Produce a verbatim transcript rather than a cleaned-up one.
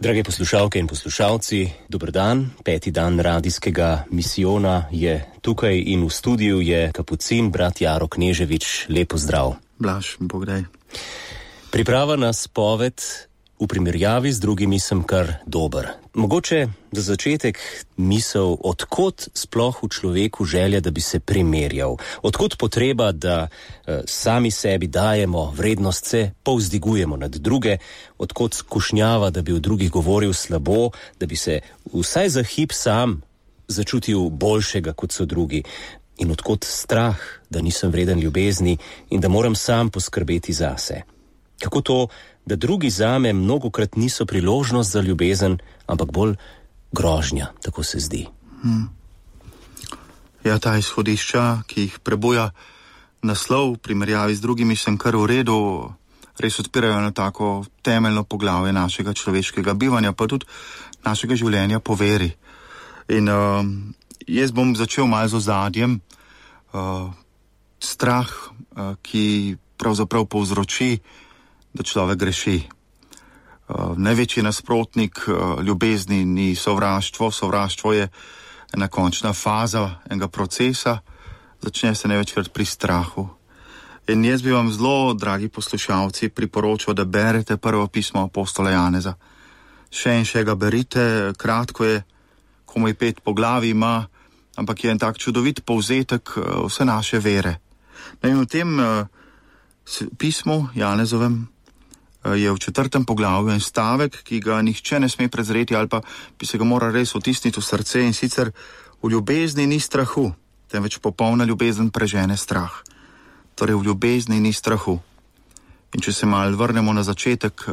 Drage poslušalke in poslušalci, dober dan. Peti dan radijskega misijona je tukaj in v studiu je kapucin brat Jaro Kneževič. Lep pozdrav. Blaž, Bog daj. Priprava na spoved v primerjavi z drugimi sem kar dober. Mogoče za začetek misel, odkot sploh v človeku želja, da bi se primerjal. Odkot potreba, da eh, sami sebi dajemo vrednost, se povzdigujemo nad druge. Odkot skušnjava, da bi o drugih govoril slabo, da bi se vsaj za hip sam začutil boljšega, kot so drugi. In odkot strah, da nisem vreden ljubezni in da moram sam poskrbeti zase. Kako to, da drugi zame mnogokrat niso priložnost za ljubezen, ampak bolj grožnja, tako se zdi. Hmm. Ja, ta izhodišča, ki jih prebuja naslov v primerjavi z drugimi, sem kar v redu, res odpirajo na tako temeljno poglavje našega človeškega bivanja, pa tudi našega življenja po veri. In uh, jaz bom začel malo z ozadjem. Uh, strah, uh, ki pravzaprav povzroči, da človek greši. Uh, največji nasprotnik uh, ljubezni ni sovraštvo. Sovraštvo je ena končna faza enega procesa, začne se največkrat pri strahu. In jaz bi vam zelo, dragi poslušalci, priporočal, da berete prvo pismo apostola Janeza. Še in še ga berite, kratko je, komaj pet poglavij ima, ampak je en tak čudovit povzetek uh, vse naše vere. In v tem uh, pismu Janezovem je v četrtem poglavju en stavek, ki ga nihče ne sme prezreti ali pa bi se ga moral res vtisniti v srce, in sicer: v ljubezni ni strahu, temveč popolna ljubezen prežene strah. Torej v ljubezni ni strahu. In če se malo vrnemo na začetek